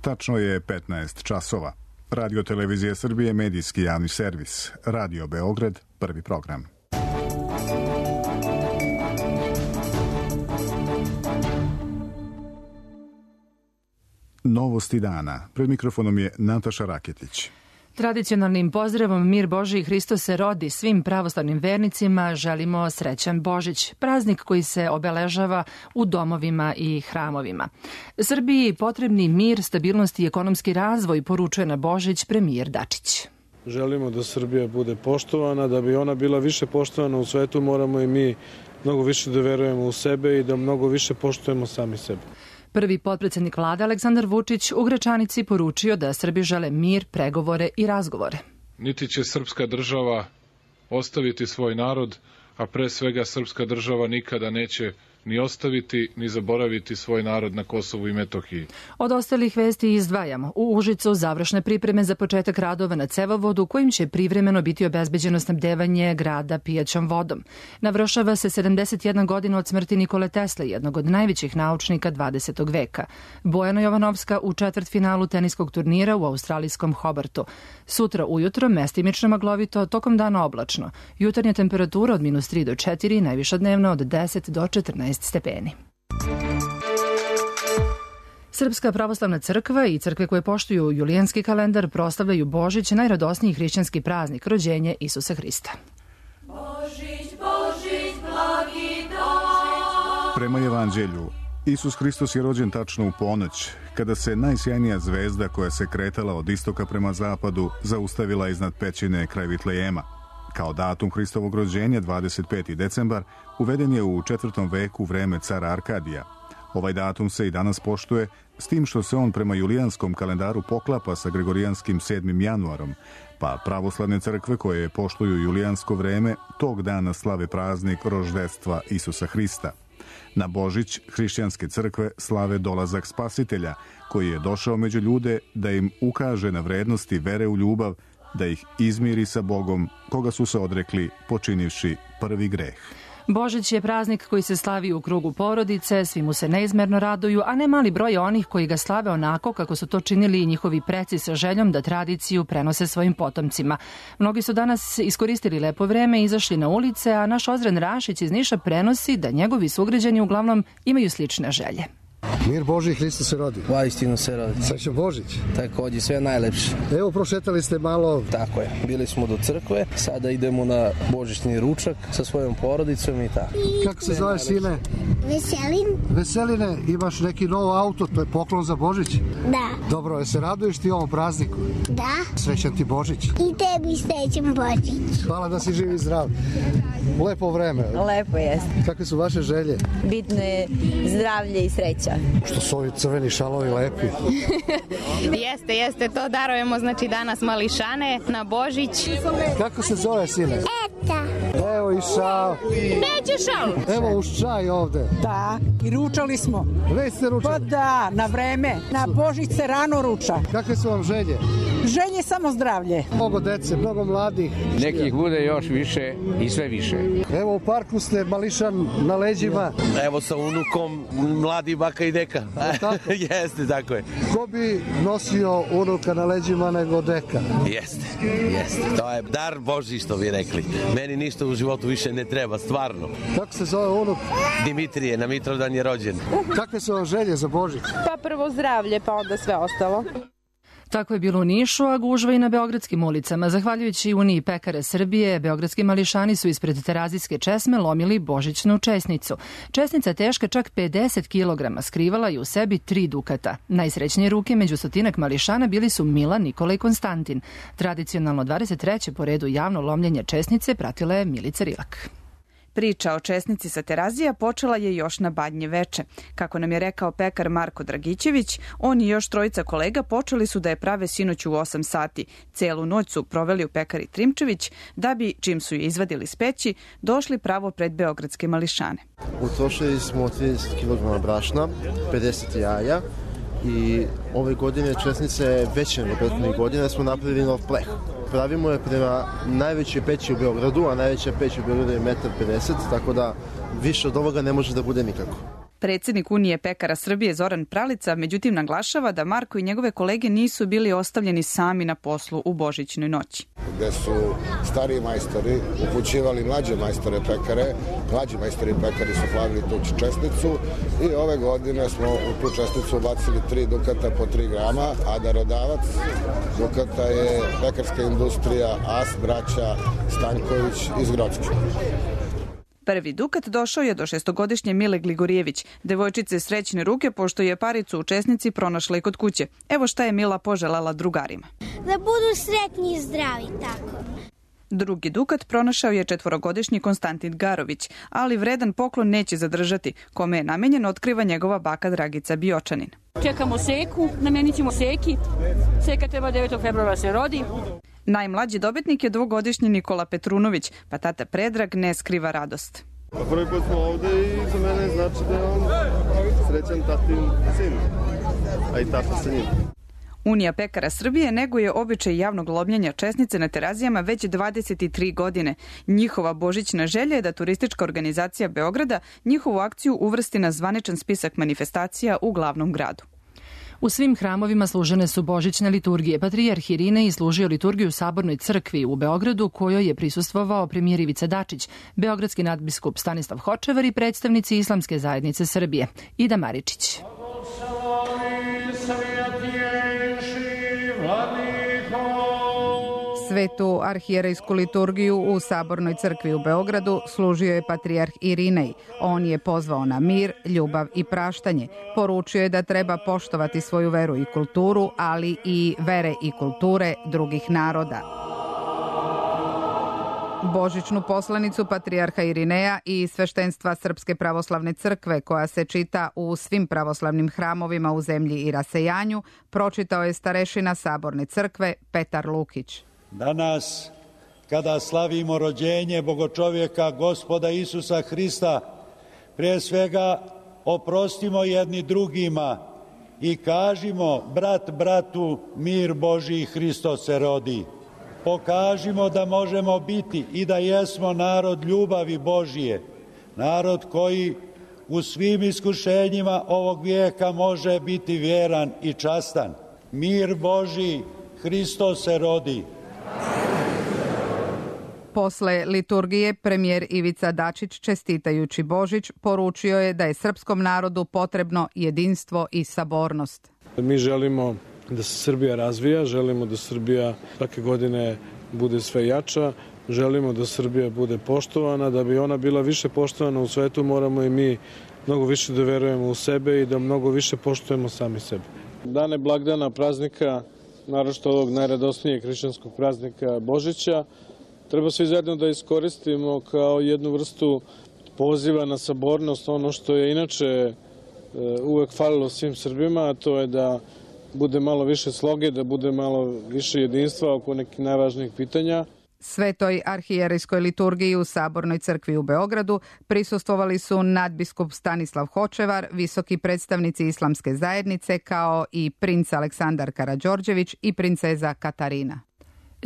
Tačno je 15 časova. Radio Televizija Srbije, medijski javni servis. Radio Beograd, prvi program. Novosti dana. Pred mikrofonom je Nataša Raketić. Tradicionalnim pozdravom Mir Božji i Hristos se rodi svim pravoslavnim vernicima želimo srećan Božić, praznik koji se obeležava u domovima i hramovima. Srbiji potrebni mir, stabilnost i ekonomski razvoj, poručuje na Božić premijer Dačić. Želimo da Srbija bude poštovana, da bi ona bila više poštovana u svetu, moramo i mi mnogo više da verujemo u sebe i da mnogo više poštujemo sami sebe. Prvi potpredsednik vlade Aleksandar Vučić u Gračanici poručio da Srbi žele mir, pregovore i razgovore. Niti će srpska država ostaviti svoj narod, a pre svega srpska država nikada neće ni ostaviti, ni zaboraviti svoj narod na Kosovu i Metohiji. Od ostalih vesti izdvajamo. U Užicu završne pripreme za početak radova na cevovodu kojim će privremeno biti obezbeđeno snabdevanje grada pijaćom vodom. Navršava se 71 godina od smrti Nikole Tesle, jednog od najvećih naučnika 20. veka. Bojana Jovanovska u četvrtfinalu teniskog turnira u australijskom Hobartu. Sutra ujutro mestimično maglovito, tokom dana oblačno. Jutarnja temperatura od -3 do 4, najviša dnevna od 10 do 14 stepeni. Srpska pravoslavna crkva i crkve koje poštuju julijanski kalendar proslavljaju Božić, najradosniji hrišćanski praznik, rođenje Isusa Hrista. Božić, Božić, blagi dan. Prema Evanđelju, Isus Hristos je rođen tačno u ponoć, kada se najsjajnija zvezda koja se kretala od istoka prema zapadu zaustavila iznad pećine kraj Vitlejema. Kao datum Hristovog rođenja, 25. decembar, uveden je u 4. veku vreme cara Arkadija. Ovaj datum se i danas poštuje, s tim što se on prema julijanskom kalendaru poklapa sa gregorijanskim 7. januarom, pa pravoslavne crkve koje poštuju julijansko vreme tog dana slave praznik roždestva Isusa Hrista. Na Božić hrišćanske crkve slave dolazak Spasitelja, koji je došao među ljude da im ukaže na vrednosti vere u ljubav, da ih izmiri sa Bogom, koga su se odrekli počinivši prvi greh. Božić je praznik koji se slavi u krugu porodice, svi mu se neizmerno raduju, a ne mali broj onih koji ga slave onako kako su to činili i njihovi preci sa željom da tradiciju prenose svojim potomcima. Mnogi su danas iskoristili lepo vreme i izašli na ulice, a naš Ozren Rašić iz Niša prenosi da njegovi sugrađani uglavnom imaju slične želje. Mir Božji i Hristos se rodi. Vaistinu se rodi. Srećan Božić. Takođe, sve najlepše. Evo, prošetali ste malo. Tako je. Bili smo do crkve, sada idemo na božićni ručak sa svojom porodicom i tako. Kako se zove, sine? Veselin. Veseline, imaš neki novo auto, to je poklon za Božić? Da. Dobro, je se raduješ ti ovom prazniku? Da. Srećan ti Božić. I tebi srećan Božić. Hvala da si živ i zdrav. Lepo vreme. Lepo jeste. Kakve su vaše želje? Bitno je zdravlje i sreća. Što su ovi crveni šalovi lepi? Jeste, to darujemo znači danas mališane na Božić. Kako se zove, sine? Eta. Evo i šal. Neće šal. Evo uz čaj ovde. Da, i ručali smo. Već ste ručali? Pa da, na vreme. Na Božić se rano ruča. Kakve su vam želje? Želje samo zdravlje. Mnogo dece, mnogo mladih. Nekih bude još više i sve više. Evo u parku ste mališan na leđima. Evo sa unukom, mladi baka i deka. Jeste, tako je. Ko bi nosio unuka na leđima nego deka? Jeste. To je dar Božji, što bi rekli. Meni ništa u životu više ne treba, stvarno. Kako se zove unuk? Dimitrije, na Mitrovdan je rođen. Kakve su vam želje za Božić? Pa prvo zdravlje, pa onda sve ostalo. Tako je bilo u Nišu, a gužva i na beogradskim ulicama. Zahvaljujući Uniji pekara Srbije, beogradski mališani su ispred Terazijske česme lomili božićnu česnicu. Česnica teška čak 50 kg skrivala je u sebi 3 dukata. Najsrećnije ruke među stotinak mališana bili su Milan, Nikola i Konstantin. Tradicionalno 23. po redu javno lomljenje česnice pratila je Milica Rilak. Priča o česnici sa Terazija počela je još na Badnje veče. Kako nam je rekao pekar Marko Dragićević, on i još trojica kolega počeli su da je prave sinoć u 8 sati. Celu noć su proveli u pekari Trimčević, da bi, čim su je izvadili s peći, došli pravo pred beogradske mališane. Utrošili smo 30 kg brašna, 50 jaja i ove godine česnica je veća nego prethodnih godina, smo napravili nov pleh. Pravimo je prema najvećoj peći u Beogradu, a najveća peć u Beogradu je 1,50 m, tako da više od ovoga ne može da bude nikako. Predsednik Unije pekara Srbije Zoran Pralica međutim naglašava da Marko i njegove kolege nisu bili ostavljeni sami na poslu u božićnoj noći. Gde su stariji majstori upućivali mlađe majstore pekare, mlađi majstori pekari su hladili tu česnicu i ove godine smo u tu česnicu ubacili 3 dukata po 3 grama, a darodavac dukata je pekarska industrija As braća Stanković iz Grocke. Prvi dukat došao je do 6-godišnje Mile Gligorijević, devojčice srećne ruke pošto je paricu učesnici pronašla i kod kuće. Evo šta je Mila poželjela drugarima. Da budu sretni i zdravi, tako. Drugi dukat pronašao je 4-godišnji Konstantin Garović, ali vredan poklon neće zadržati. Kome je namenjen otkriva njegova baka Dragica Biočanin. Čekamo Seku, namenit ćemo Seki. Seka treba 9. februara se rodi. Najmlađi dobitnik je 2-godišnji Nikola Petrunović, pa tata Predrag ne skriva radost. Prvi put smo ovde i za mene znači da je on srećan tatin sin, a i tata sa njim. Unija pekara Srbije neguje običaj javnog lomljenja česnice na Terazijama već 23 godine. Njihova božićna želja je da turistička organizacija Beograda njihovu akciju uvrsti na zvaničan spisak manifestacija u glavnom gradu. U svim hramovima služene su božićne liturgije. Patrijarh Irinej služio liturgiju u Sabornoj crkvi u Beogradu, kojoj je prisustvovao premijer Ivica Dačić, beogradski nadbiskup Stanislav Hočevar i predstavnici Islamske zajednice Srbije. Ida Maričić. Svetu arhijerejsku liturgiju u Sabornoj crkvi u Beogradu služio je patrijarh Irinej. On je pozvao na mir, ljubav i praštanje. Poručio je da treba poštovati svoju veru i kulturu, ali i vere i kulture drugih naroda. Božićnu poslanicu patrijarha Irineja i sveštenstva Srpske pravoslavne crkve, koja se čita u svim pravoslavnim hramovima u zemlji i rasejanju, pročitao je starešina Saborne crkve Petar Lukić. Danas, kada slavimo rođenje Bogočovjeka Gospoda Isusa Hrista, prije svega oprostimo jedni drugima i kažimo brat bratu mir Božji Hristos se rodi. Pokažimo da možemo biti i da jesmo narod ljubavi Božije, narod koji u svim iskušenjima ovog vijeka može biti vjeran i častan. Mir Božji Hristos se rodi. Posle liturgije premijer Ivica Dačić, čestitajući Božić, poručio je da je srpskom narodu potrebno jedinstvo i sabornost. Mi želimo da se Srbija razvija, želimo da Srbija svake godine bude sve jača, želimo da Srbija bude poštovana. Da bi ona bila više poštovana u svetu, moramo i mi mnogo više da verujemo u sebe i da mnogo više poštujemo sami sebe. Dane blagdana, praznika, naročito ovog najradosnijeg hrišćanskog praznika Božića, treba svi zajedno da iskoristimo kao jednu vrstu poziva na sabornost, ono što je inače uvek falilo svim Srbima, a to je da bude malo više sloge, da bude malo više jedinstva oko nekih najvažnijih pitanja. Svetoj arhijerejskoj liturgiji u Sabornoj crkvi u Beogradu prisustvovali su nadbiskup Stanislav Hočevar, visoki predstavnici Islamske zajednice, kao i princ Aleksandar Karađorđević i princeza Katarina.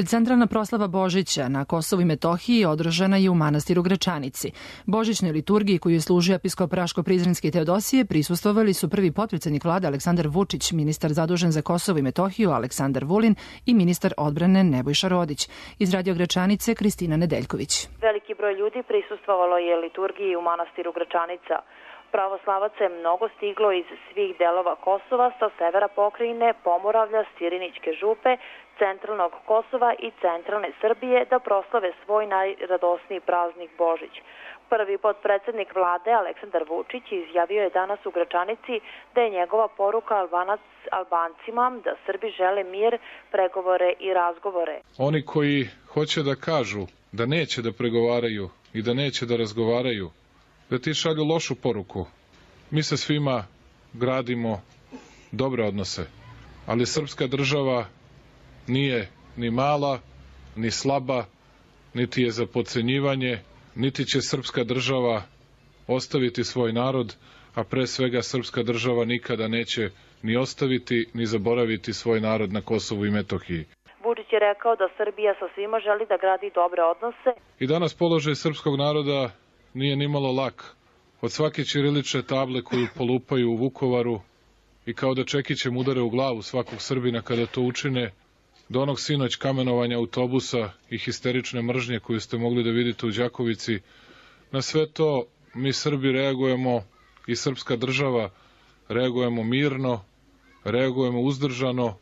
Centralna proslava Božića na Kosovu i Metohiji održana je u manastiru Gračanici. Božićnoj liturgiji koju je služio episkop Raško-Prizrenski Teodosije prisustvovali su prvi potpredsjednik vlade Aleksandar Vučić, ministar zadužen za Kosovo i Metohiju Aleksandar Vulin i ministar odbrane Nebojša Rodić. Iz Radio Gračanice Kristina Nedeljković. Veliki broj ljudi prisustvovalo je liturgiji u manastiru Gračanica. Pravoslavaca je mnogo stiglo iz svih delova Kosova, sa severa pokrajine, Pomoravlja, Sirinićke župe, centralnog Kosova i centralne Srbije da proslave svoj najradosniji praznik Božić. Prvi potpredsednik vlade Aleksandar Vučić izjavio je danas u Gračanici da je njegova poruka Albancima da Srbi žele mir, pregovore i razgovore. Oni koji hoće da kažu da neće da pregovaraju i da neće da razgovaraju, da ti šalju lošu poruku. Mi sa svima gradimo dobre odnose, ali srpska država nije ni mala, ni slaba, niti je za podcenjivanje, niti će srpska država ostaviti svoj narod, a pre svega srpska država nikada neće ni ostaviti, ni zaboraviti svoj narod na Kosovu i Metohiji. Vučić je rekao da Srbija sa svima želi da gradi dobre odnose. I danas položaj srpskog naroda nije nimalo lak, od svake ćirilične table koju polupaju u Vukovaru i kao da čekićem udare u glavu svakog Srbina kada to učine, do onog sinoć kamenovanja autobusa i histerične mržnje koju ste mogli da vidite u Đakovici, na sve to mi Srbi reagujemo i srpska država reagujemo mirno, reagujemo uzdržano,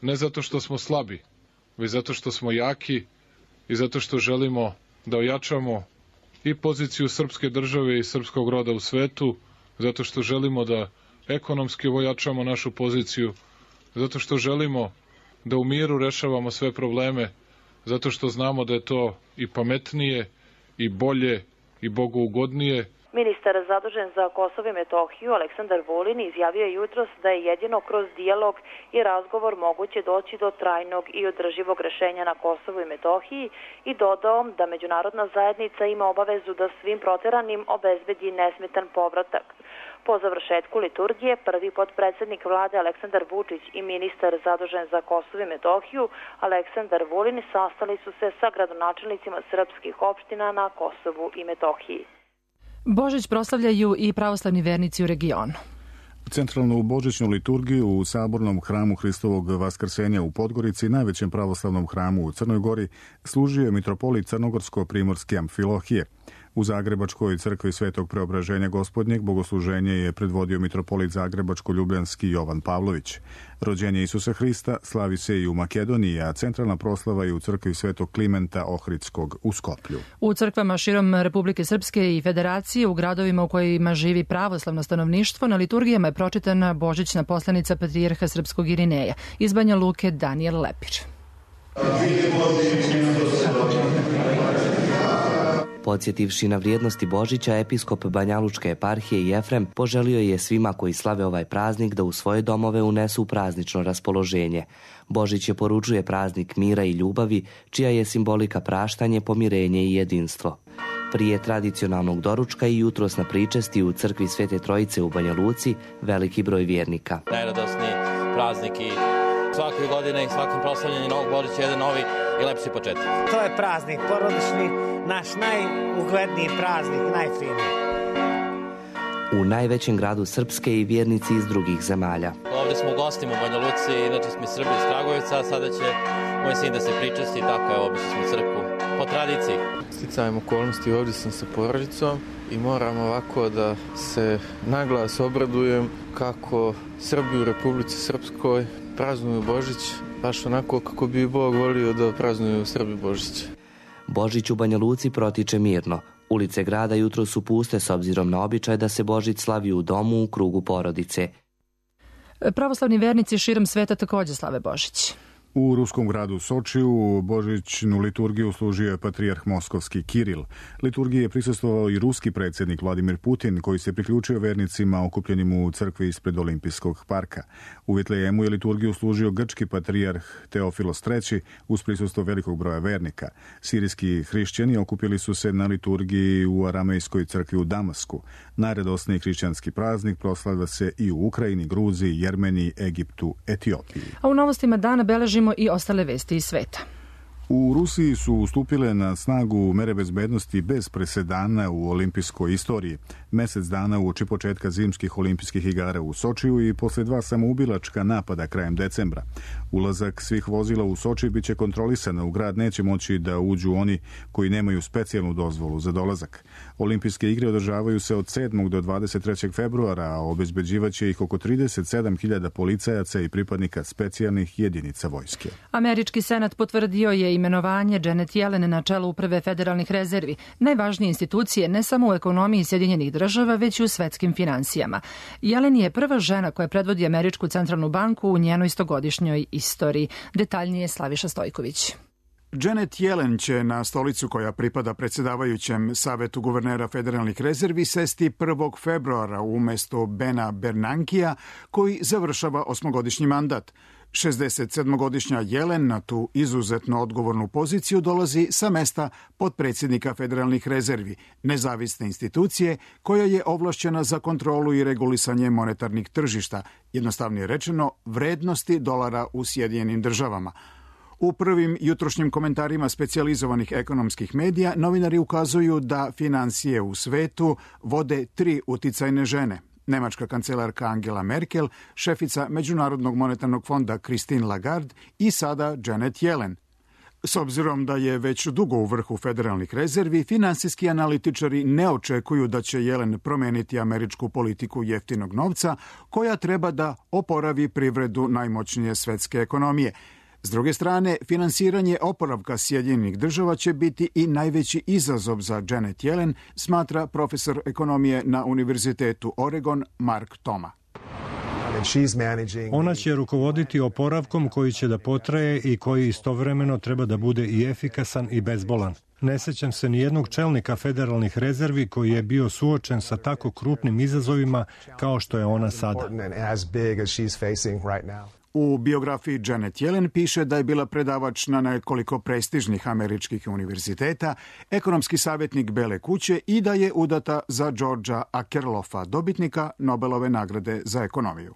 ne zato što smo slabi, već zato što smo jaki i zato što želimo da ojačamo i poziciju srpske države i srpskog roda u svetu, zato što želimo da ekonomski ojačamo našu poziciju, zato što želimo da u miru rešavamo sve probleme, zato što znamo da je to i pametnije, i bolje, i bogougodnije. Ministar zadužen za Kosovo i Metohiju Aleksandar Vulin izjavio je jutros da je jedino kroz dijalog i razgovor moguće doći do trajnog i održivog rešenja na Kosovu i Metohiji i dodao da međunarodna zajednica ima obavezu da svim proteranim obezbedi nesmetan povratak. Po završetku liturgije, prvi potpredsednik vlade Aleksandar Vučić i ministar zadužen za Kosovo i Metohiju Aleksandar Vulin sastali su se sa gradonačelnicima srpskih opština na Kosovu i Metohiji. Božić proslavljaju i pravoslavni vernici u regionu. Centralnu božićnu liturgiju u Sabornom hramu Hristovog Vaskrsenja u Podgorici, najvećem pravoslavnom hramu u Crnoj Gori, služio je mitropolit Crnogorsko-primorski Amfilohije. U Zagrebačkoj crkvi Svetog Preobraženja Gospodnjeg bogosluženje je predvodio mitropolit Zagrebačko-ljubljanski Jovan Pavlović. Rođenje Isusa Hrista slavi se i u Makedoniji, a centralna proslava je u crkvi Svetog Klimenta Ohridskog u Skoplju. U crkvama širom Republike Srpske i Federacije, u gradovima u kojima živi pravoslavno stanovništvo, na liturgijama je pročitana božićna poslanica patrijarha srpskog Irineja iz Banja Luke Danijel Lepir. Podsjetivši na vrijednosti Božića, episkop Banjalučke eparhije Jefrem poželio je svima koji slave ovaj praznik da u svoje domove unesu praznično raspoloženje. Božić je poručuje praznik mira i ljubavi, čija je simbolika praštanje, pomirenje i jedinstvo. Prije tradicionalnog doručka i jutros na pričesti u crkvi Svete Trojice u Banja Luci veliki broj vjernika. Najradosniji praznik i svake godine i svakim proslavljanjem Novog Božića jedan novi i lepši početak. To je praznik porodični, naš najugledniji praznik, najfiniji. U najvećem gradu Srpske i vjernici iz drugih zemalja. Ovdje smo u gostima u Banja Luci, inače smo iz Srbije iz Kragujevca, a sada će moj sin da se pričasti, tako je, obišli smo crkvu po tradiciji. Sticajem okolnosti ovdje sam sa porodicom i moram ovako da se naglas obradujem kako Srbi u Republici Srpskoj praznuju Božić, baš onako kako bi Bog volio da praznuju Srbi Božić. Božić u Banja Luci protiče mirno. Ulice grada jutro su puste s obzirom na običaj da se Božić slavi u domu u krugu porodice. Pravoslavni vernici širom sveta također slave Božić. U ruskom gradu Sočiju božićnu liturgiju služio je patrijarh moskovski Kiril. Liturgiji je prisustvovao i ruski predsjednik Vladimir Putin, koji se priključio vernicima okupljenim u crkvi ispred Olimpijskog parka. U Vitlejemu je liturgiju služio grčki patrijarh Teofilos III uz prisustvo velikog broja vernika. Sirijski hrišćani okupili su se na liturgiji u aramejskoj crkvi u Damasku. Najradosniji hrišćanski praznik proslavlja se i u Ukrajini, Gruziji, Jermeniji, Egiptu, Etiopiji. A u novostima dana beležimo i ostale vesti iz sveta. U Rusiji su stupile na snagu mere bezbednosti bez presedana u olimpijskoj istoriji. Mesec dana uoči početka zimskih olimpijskih igara u Sočiju i posle 2 samoubilačka napada krajem decembra. Ulazak svih vozila u Soči biće kontrolisan, u grad neće moći da uđu oni koji nemaju specijalnu dozvolu za dolazak. Olimpijske igre održavaju se od 7. do 23. februara, a obezbeđivaće ih oko 37.000 policajaca i pripadnika specijalnih jedinica vojske. Američki senat potvrdio je imenovanje Janet Yellen na čelu Uprave federalnih rezervi, najvažnije institucije ne samo u ekonomiji Sjedinjenih država, već i u svetskim finansijama. Yellen je prva žena koja predvodi Američku centralnu banku u njenoj 100-godišnjoj istoriji. Detaljnije Slaviša Stojković. Janet Yellen će na stolicu koja pripada predsjedavajućem Savetu guvernera federalnih rezervi sesti 1. februara umjesto Bena Bernankija, koji završava 8-godišnji mandat. 67-godišnja Yellen na tu izuzetno odgovornu poziciju dolazi sa mesta potpredsjednika federalnih rezervi, nezavisne institucije koja je ovlašćena za kontrolu i regulisanje monetarnih tržišta, jednostavnije rečeno vrednosti dolara u Sjedinjenim državama. U prvim jutrošnjim komentarima specijalizovanih ekonomskih medija novinari ukazuju da financije u svetu vode 3 uticajne žene. Nemačka kancelarka Angela Merkel, šefica Međunarodnog monetarnog fonda Christine Lagarde i sada Janet Yellen. S obzirom da je već dugo u vrhu federalnih rezervi, finansijski analitičari ne očekuju da će Yellen promeniti američku politiku jeftinog novca, koja treba da oporavi privredu najmoćnije svetske ekonomije. S druge strane, finansiranje oporavka Sjedinjenih država će biti i najveći izazov za Janet Yellen, smatra profesor ekonomije na Univerzitetu Oregon Mark Toma. Ona će rukovoditi oporavkom koji će da potraje i koji istovremeno treba da bude i efikasan i bezbolan. Ne sećam se ni jednog čelnika federalnih rezervi koji je bio suočen sa tako krupnim izazovima kao što je ona sada. U biografiji Janet Yellen piše da je bila predavač na nekoliko prestižnih američkih univerziteta, ekonomski savjetnik Bele kuće i da je udata za Georgea Akerlofa, dobitnika Nobelove nagrade za ekonomiju.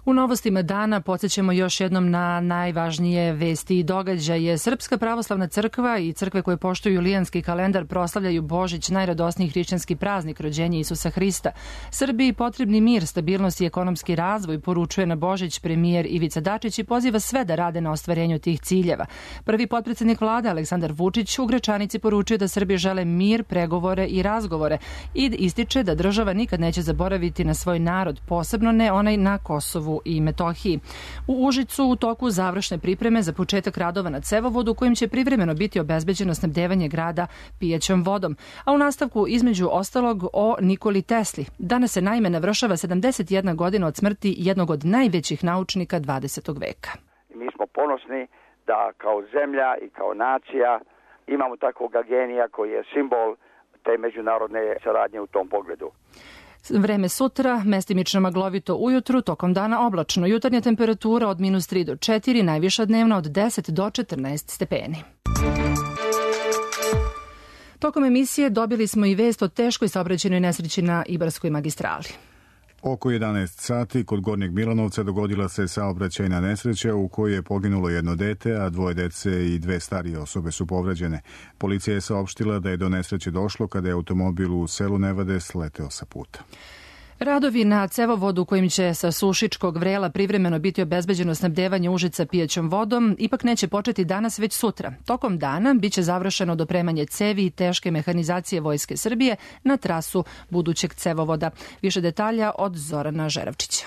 U novostima dana podsjećamo još jednom na najvažnije vesti i događaje. Srpska pravoslavna crkva i crkve koje poštuju julijanski kalendar proslavljaju Božić, najradosniji hrišćanski praznik rođenja Isusa Hrista. Srbiji potrebni mir, stabilnost i ekonomski razvoj, poručuje na Božić premijer Ivica Dačić i poziva sve da rade na ostvarenju tih ciljeva. Prvi potpredsednik vlade Aleksandar Vučić u Gračanici poručuje da Srbi žele mir, pregovore i razgovore i ističe da država nikad neće zaboraviti na svoj narod, posebno ne onaj na Kosovu i Metohiji. U Užicu u toku završne pripreme za početak radova na cevovodu kojim će privremeno biti obezbeđeno snabdevanje grada pijaćom vodom. A u nastavku između ostalog o Nikoli Tesli. Danas se naime navršava 71 godina od smrti jednog od najvećih naučnika 20. veka. Mi smo ponosni da kao zemlja i kao nacija imamo takvog genija koji je simbol te međunarodne saradnje u tom pogledu. Vreme sutra, mestimično maglovito ujutru, tokom dana oblačno. Jutarnja temperatura od -3 do 4, najviša dnevna od 10 do 14 stepeni. Tokom emisije dobili smo i vest o teškoj saobraćajnoj nesreći na Ibarskoj magistrali. Oko 11 sati kod Gornjeg Milanovca dogodila se saobraćajna nesreća u kojoj je poginulo jedno dete, a 2 dece i 2 starije osobe su povređene. Policija je saopštila da je do nesreće došlo kada je automobil u selu Nevade sleteo sa puta. Radovi na cevovodu kojim će sa Sušičkog vrela privremeno biti obezbeđeno snabdevanje Užica pijaćom vodom ipak neće početi danas već sutra. Tokom dana biće završeno dopremanje cevi i teške mehanizacije Vojske Srbije na trasu budućeg cevovoda. Više detalja od Zorana Žeravčića.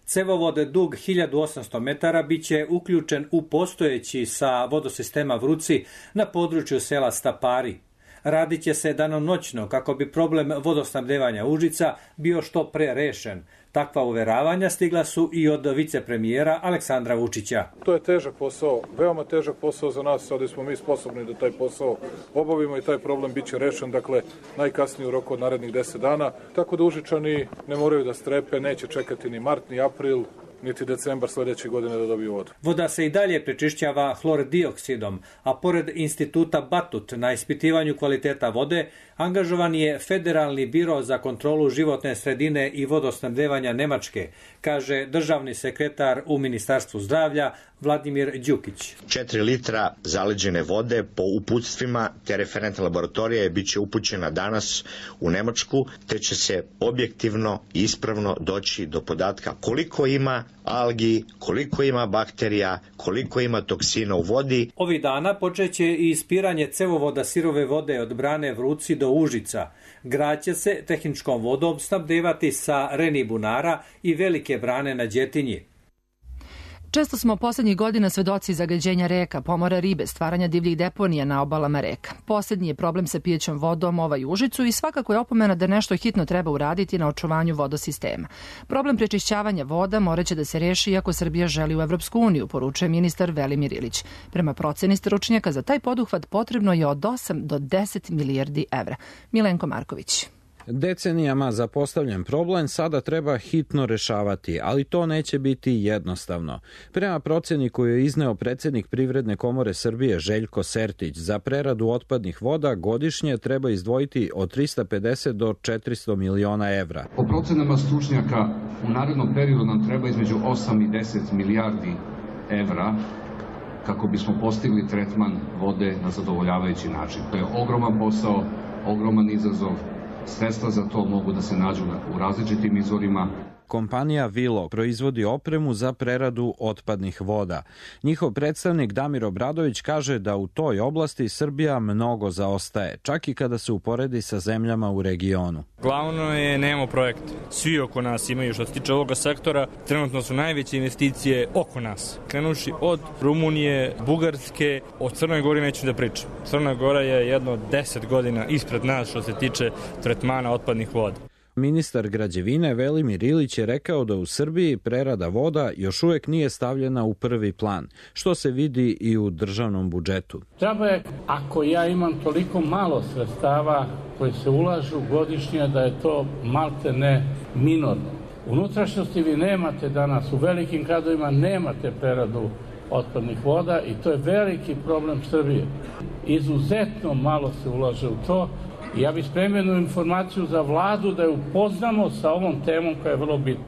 Cevovod dug 1800 metara biće uključen u postojeći sa vodosistema Vruci na području sela Stapari. Radit će se danonoćno kako bi problem vodosnabdevanja Užica bio što pre rešen. Takva uveravanja stigla su i od vicepremijera Aleksandra Vučića. To je težak posao, veoma težak posao za nas, ali smo mi sposobni da taj posao obavimo i taj problem biće rešen, dakle najkasnije u roku od narednih 10 dana. Tako da Užičani ne moraju da strepe, neće čekati ni mart, ni april, niti decembar sledeće godine da dobiju vodu. Voda se i dalje prečišćava hlordioksidom, a pored instituta Batut na ispitivanju kvaliteta vode angažovan je Federalni biro za kontrolu životne sredine i vodosnabdevanja Nemačke, kaže državni sekretar u Ministarstvu zdravlja Vladimir Đukić. 4 litra zaleđene vode po uputstvima te referentne laboratorije biće upućena danas u Nemačku, te će se objektivno i ispravno doći do podatka koliko ima algi, koliko ima bakterija, koliko ima toksina u vodi. Ovih dana počeće i ispiranje cevovoda sirove vode od brane Vruci do Užica. Grad će se tehničkom vodom snabdevati sa Reni bunara i velike brane na Đetinji. Često smo poslednjih godina svedoci zagađenja reka, pomora ribe, stvaranja divljih deponija na obalama reka. Poslednji je problem sa pijećom vodom ovaj Užicu i svakako je opomena da nešto hitno treba uraditi na očuvanju vodosistema. Problem prečišćavanja voda moraće da se reši iako Srbija želi u Evropsku uniju, poručuje ministar Velimir Ilić. Prema proceni stručnjaka za taj poduhvat potrebno je od 8 do 10 milijardi evra. Milenko Marković. Decenijama zapostavljen problem sada treba hitno rešavati, ali to neće biti jednostavno. Prema proceni koju je izneo predsednik Privredne komore Srbije Željko Sertić, za preradu otpadnih voda godišnje treba izdvojiti od 350 do 400 miliona evra. Po procenama stručnjaka u narednom periodu nam treba između 8 i 10 milijardi evra kako bismo postigli tretman vode na zadovoljavajući način. To je ogroman posao, ogroman izazov. Sredstva za to mogu da se nađu u različitim izvorima. Kompanija Vilo proizvodi opremu za preradu otpadnih voda. Njihov predstavnik Damir Obradović kaže da u toj oblasti Srbija mnogo zaostaje, čak i kada se uporedi sa zemljama u regionu. Glavno je nemamo projekte. Svi oko nas imaju, što se tiče ovoga sektora, trenutno su najveće investicije oko nas. Krenuši od Rumunije, Bugarske, o Crnoj Gori neću da pričam. Crna Gora je jedno 10 godina ispred nas što se tiče tretmana otpadnih voda. Ministar građevine Velimir Ilić je rekao da u Srbiji prerada voda još uvijek nije stavljena u prvi plan, što se vidi i u državnom budžetu. Treba je, ako ja imam toliko malo sredstava koje se ulažu godišnje, da je to malte ne minorno. U unutrašnjosti vi nemate danas, u velikim gradovima nemate preradu otpadnih voda i to je veliki problem Srbije. Izuzetno malo se ulaže u to. Ja bih spremio informaciju za vladu da je upoznamo sa ovom temom koja je vrlo bitna.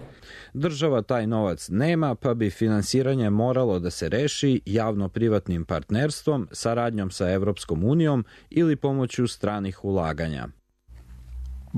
Država taj novac nema, pa bi finansiranje moralo da se reši javno-privatnim partnerstvom, saradnjom sa Evropskom unijom ili pomoću stranih ulaganja.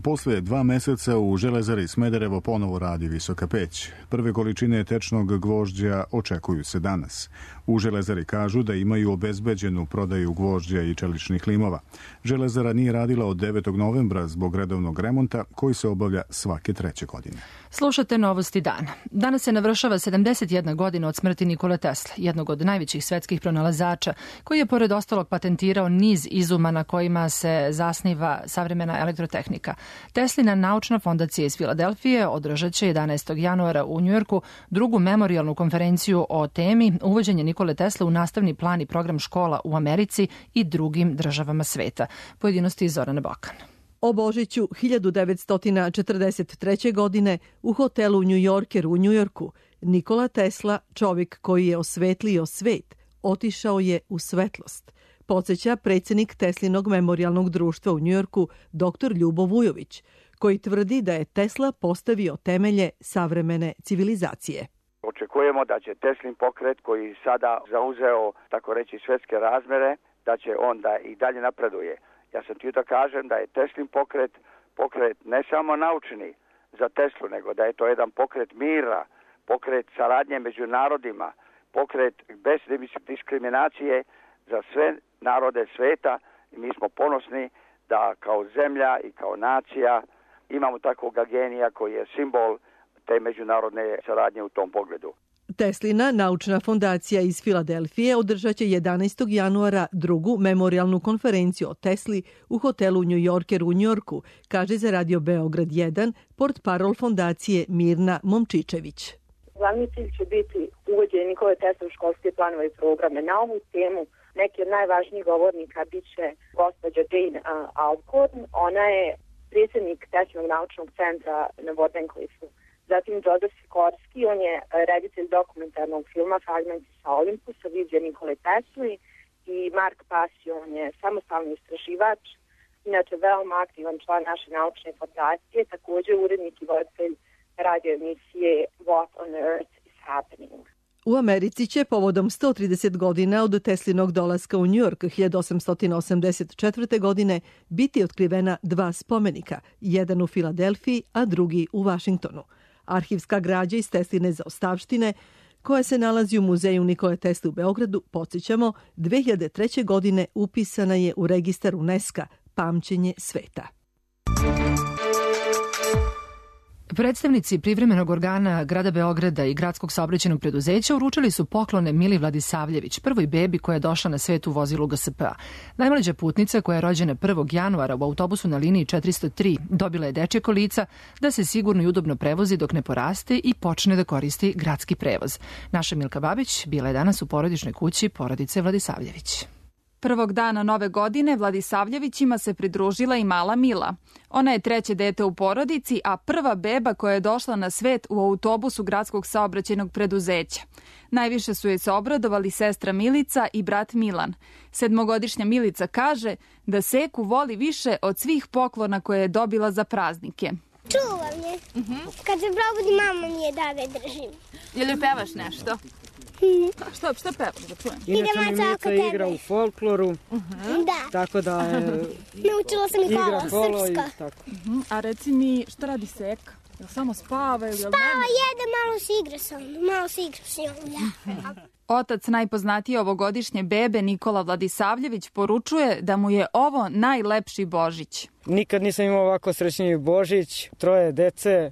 Posle 2 meseca u Železari Smederevo ponovo radi visoka peć. Prve količine tečnog gvožđa očekuju se danas. U Železari kažu da imaju obezbeđenu prodaju gvožđa i čeličnih limova. Železara nije radila od 9. novembra zbog redovnog remonta koji se obavlja svake 3. godine. Slušate Novosti dana. Danas se navršava 71 godina od smrti Nikole Tesle, jednog od najvećih svetskih pronalazača, koji je pored ostalog patentirao niz izuma na kojima se zasniva savremena elektrotehnika. Teslina naučna fondacija iz Filadelfije održat će 11. januara u Njujorku drugu memorijalnu konferenciju o temi uvođenje Nikole Tesle u nastavni plan i program škola u Americi i drugim državama sveta. Pojedinosti iz Zorana Bokan. O Božiću 1943. godine u hotelu New Yorker u Njujorku Nikola Tesla, čovjek koji je osvetlio svet, otišao je u svetlost. Podsjeća predsjednik Teslinog memorijalnog društva u Njujorku dr. Ljubo Vujović, koji tvrdi da je Tesla postavio temelje savremene civilizacije. Očekujemo da će Teslin pokret koji sada zauzeo, tako reći, svjetske razmere, da će on da i dalje napreduje. Ja sam htio da kažem da je Teslin pokret ne samo naučni za Teslu, nego da je to jedan pokret mira, pokret saradnje među narodima, pokret bez diskriminacije za sve narode sveta i mi smo ponosni da kao zemlja i kao nacija imamo takvog genija koji je simbol te međunarodne saradnje u tom pogledu. Teslina naučna fondacija iz Filadelfije održat će 11. januara drugu memorijalnu konferenciju o Tesli u hotelu New Yorker u Njujorku, kaže za Radio Beograd 1 portparol fondacije Mirna Momčičević. Glavni cilj će biti uvođenje Nikole Tesle u školske planove i programe. Na ovu temu neki od najvažnijih govornika bit će gospođa Jane Alcorn. Ona je predsjednik Teslinog naučnog centra na Wardenclyffe. Zatim Joseph Sikorski, on je reditelj dokumentarnog filma Fragmenti sa Olimpusa, vizija Nikole Tesli, i Mark Pasio, on je samostalni istraživač, inače veoma aktivan član naše naučne fondacije, također urednik i voditelj radio emisije What on Earth is Happening. U Americi će povodom 130 godina od Teslinog dolaska u New York 1884. godine biti otkrivena 2 spomenika, jedan u Filadelfiji, a drugi u Vašingtonu. Arhivska građa iz Tesline zaostavštine, koja se nalazi u muzeju Nikole Tesle u Beogradu, podsjećamo, 2003. godine upisana je u registar UNESCO-a Pamćenje sveta. Predstavnici privremenog organa grada Beograda i gradskog saobraćajnog preduzeća uručili su poklone Mili Vladisavljević, prvoj bebi koja je došla na svet u vozilu GSP-a. Najmlađa putnica koja je rođena 1. januara u autobusu na liniji 403 dobila je dečje kolica da se sigurno i udobno prevozi dok ne poraste i počne da koristi gradski prevoz. Naša Milka Babić bila je danas u porodičnoj kući porodice Vladisavljević. Prvog dana nove godine Vladisavljevićima se pridružila i mala Mila. Ona je 3. dete u porodici, a prva beba koja je došla na svet u autobusu gradskog saobraćajnog preduzeća. Najviše su joj se obradovali sestra Milica i brat Milan. 7-godišnja Milica kaže da Seku voli više od svih poklona koje je dobila za praznike. Čuvam je. Kad se probudi, mama mi je da ga držim. Jel joj pevaš nešto? Šta pevaš da čujem? Inače mi Mica igra u folkloru, tako da naučila sam i kolo srpska. A reci mi, šta radi Seka? Jel samo spava ili... Spava, jede, malo se igra s njom. Otac najpoznatije ovogodišnje bebe Nikola Vladisavljević poručuje da mu je ovo najlepši Božić. Nikad nisam imao ovako srećniji Božić, 3 dece,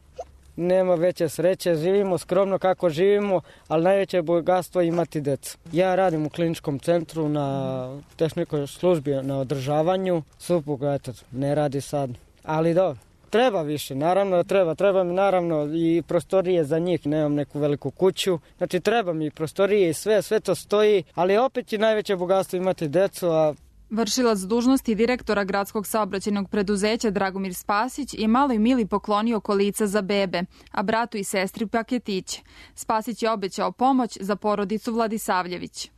nema veće sreće, živimo skromno kako živimo, ali najveće bogatstvo je imati decu. Ja radim u kliničkom centru na tehničkoj službi na održavanju, supruga ne radi sad, ali dobro. Treba više, naravno da treba mi naravno i prostorije za njih, nemam neku veliku kuću, znači treba mi prostorije i sve to stoji, ali opet je najveće bogatstvo imati decu, a Vršilac dužnosti direktora gradskog saobraćajnog preduzeća Dragomir Spasić je maloj Mili poklonio kolica za bebe, a bratu i sestri paketiće. Spasić je obećao pomoć za porodicu Vladisavljević.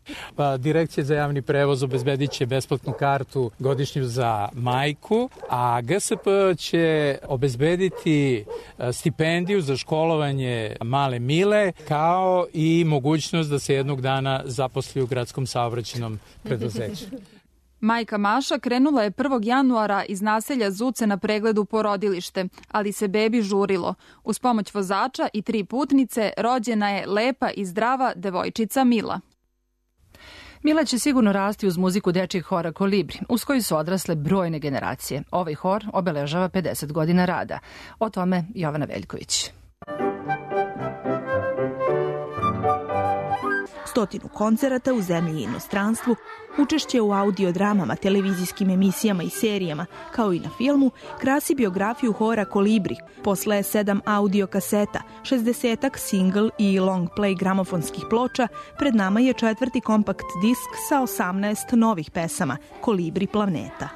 Direkcija za javni prevoz obezbedit će besplatnu kartu godišnju za majku, a GSP će obezbediti stipendiju za školovanje male Mile, kao i mogućnost da se jednog dana zaposli u gradskom saobraćajnom preduzeću. Majka Maša krenula je 1. januara iz naselja Zuce na pregled u porodilište, ali se bebi žurilo. Uz pomoć vozača i 3 putnice rođena je lepa i zdrava devojčica Mila. Mila će sigurno rasti uz muziku dečjeg hora Kolibri, uz koju su odrasle brojne generacije. Ovaj hor obeležava 50 godina rada. O tome Jovana Veljković. 100 koncerata u zemlji i inostranstvu, učešće u audiodramama, televizijskim emisijama i serijama, kao i na filmu, krasi biografiju hora Kolibri. Posle 7 audio kaseta, 60-ak single i long play gramofonskih ploča, pred nama je 4. kompakt disk sa 18 novih pesama, Kolibri planeta.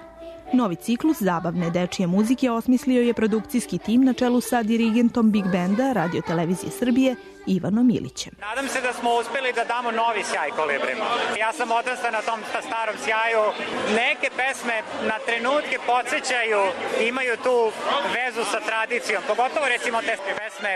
Novi ciklus zabavne dečije muzike osmislio je produkcijski tim na čelu sa dirigentom Big Benda Radio Televizije Srbije Ivanom Ilićem. Nadam se da smo uspeli da damo novi sjaj Kolibrima. Ja sam odrastao na tom starom sjaju. Neke pesme na trenutke podsjećaju, imaju tu vezu sa tradicijom, pogotovo recimo te pesme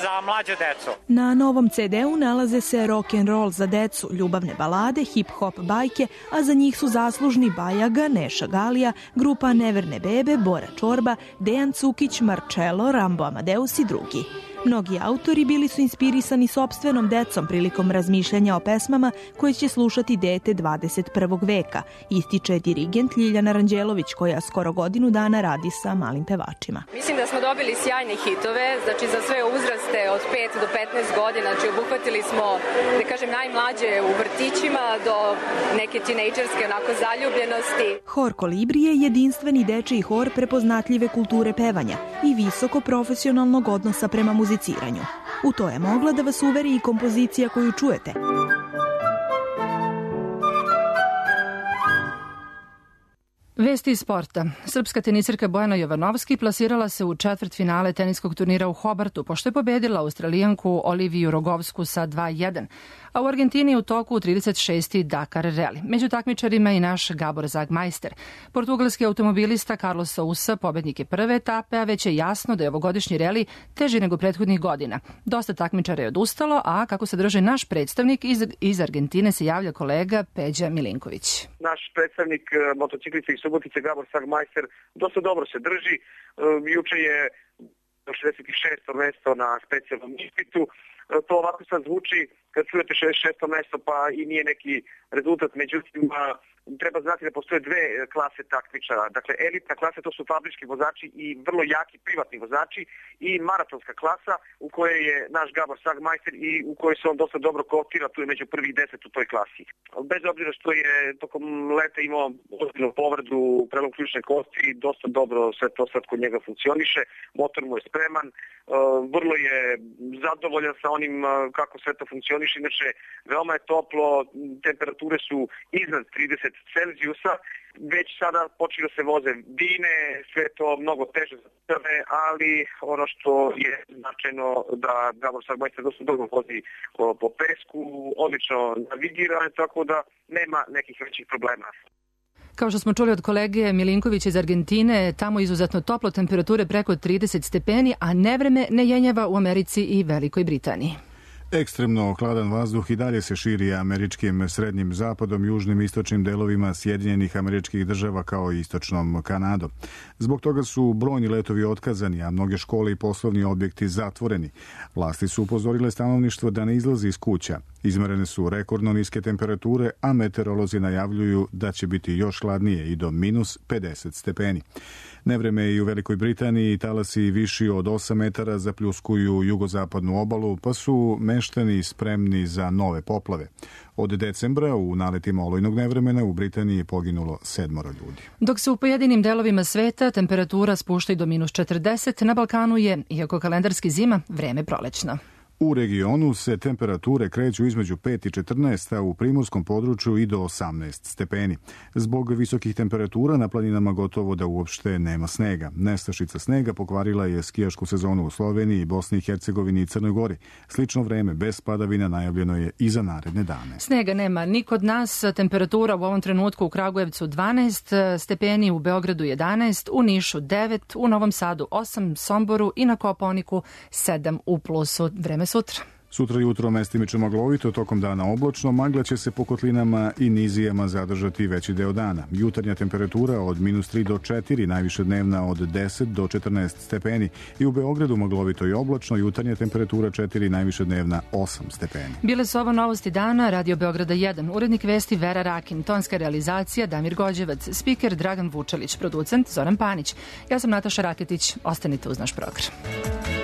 za mlađu decu. Na novom CD-u nalaze se rock and roll za decu, ljubavne balade, hip-hop bajke, a za njih su zaslužni Bajaga, Neša Galija, grupa Neverne bebe, Bora Čorba, Dejan Cukić, Marcello, Rambo Amadeus i drugi. Mnogi autori bili su inspirisani sopstvenom decom prilikom razmišljanja o pesmama koje će slušati dete 21. veka, ističe dirigent Ljiljana Ranđelović, koja skoro godinu dana radi sa malim pevačima. Mislim da smo dobili sjajne hitove, znači za sve uzraste od 5 do 15 godina, znači obuhvatili smo, da kažem, najmlađe u vrtićima do neke tinejdžerske onako zaljubljenosti. Hor Kolibri je jedinstveni dečiji hor prepoznatljive kulture pevanja i visoko profesionalnog odnosa prema muziciranju. U to je mogla da vas uveri i kompozicija koju čujete. Vesti iz sporta. Srpska tenisirka Bojana Jovanovski plasirala se u četvrtfinale teniskog turnira u Hobartu, pošto je pobedila Australijanku Oliviju Rogovsku sa 2:1. A u Argentini je u toku 36. Dakar Rally. Među takmičarima i naš Gabor Zagmajster. Portugalski automobilista Carlos Sousa pobednik je prve etape, a već je jasno da je ovogodišnji reli teži nego prethodnih godina. Dosta takmičara je odustalo, a kako se drži naš predstavnik iz Argentine se javlja kolega Peđa Milinković. Naš predstavnik motociklice iz Subotice Gabor Zagmajster dosta dobro se drži. Juče je 66. mesto na specijalnom ispitu. To ovako sad zvuči kad čujete 66. mesto pa i nije neki rezultat, međutim treba znati da postoje 2 klase takmičara. Dakle, elitna klasa, to su fabrički vozači i vrlo jaki privatni vozači, i maratonska klasa u kojoj je naš Gabor Zagmajster i u kojoj se on dosta dobro kotira, tu je među prvih 10 u toj klasi. Bez obzira što je tokom leta imao ozbiljnu povredu prelom ključne kosti, dosta dobro sve to sad kod njega funkcioniše, motor mu je spreman, vrlo je zadovoljan sa onim kako sve to funkcioniše, inače veoma je toplo, temperature su iznad 30 Celzijusa, već sada počeli da se voze dine, sve to mnogo teže za tebe, ali ono što je značajno da Gabor Zagmajster dosta dobro vozi po pesku, odlično navigira, tako da nema nekih većih problema. Kao što smo čuli od kolege Milinkovića iz Argentine, tamo je izuzetno toplo, temperature preko 30 stepeni, a nevreme ne jenjava u Americi i Velikoj Britaniji. Ekstremno hladan vazduh i dalje se širi američkim srednjim zapadom, južnim i istočnim delovima Sjedinjenih Američkih Država kao i istočnom Kanadom. Zbog toga su brojni letovi otkazani, a mnoge škole i poslovni objekti zatvoreni. Vlasti su upozorile stanovništvo da ne izlazi iz kuća. Izmerene su rekordno niske temperature, a meteorolozi najavljuju da će biti još hladnije i do minus 50 stepeni. Nevreme i u Velikoj Britaniji, talasi viši od 8 metara zapljuskuju jugozapadnu obalu, pa su meštani spremni za nove poplave. Od decembra u naletima olujnog nevremena u Britaniji je poginulo 7 ljudi. Dok se u pojedinim delovima sveta temperatura spušta i do minus 40, na Balkanu je, iako kalendarski zima, vreme prolećno. U regionu se temperature kreću između 5 i 14, a u primorskom području i do 18 stepeni. Zbog visokih temperatura na planinama gotovo da uopšte nema snega. Nestašica snega pokvarila je skijašku sezonu u Sloveniji, Bosni i Hercegovini i Crnoj Gori. Slično vreme bez padavina najavljeno je i za naredne dane. Snega nema ni kod nas. Temperatura u ovom trenutku u Kragujevcu 12 stepeni, u Beogradu 11, u Nišu 9, u Novom Sadu 8, Somboru i na Kopaoniku 7 u plusu. Vreme sutra. Sutra jutro mestimično maglovito, tokom dana oblačno, magla će se po kotlinama i nizijama zadržati veći deo dana. Jutarnja temperatura od minus 3 do 4, najviše dnevna od 10 do 14 stepeni i u Beogradu maglovito i oblačno, jutarnja temperatura 4, najviše dnevna 8 stepeni. Bile su ovo novosti dana, Radio Beograda 1, urednik vesti Vera Rakin, tonska realizacija Damir Gođevac, spiker Dragan Vučelić, producent Zoran Panić. Ja sam Nataša Raketić, ostanite uz naš program.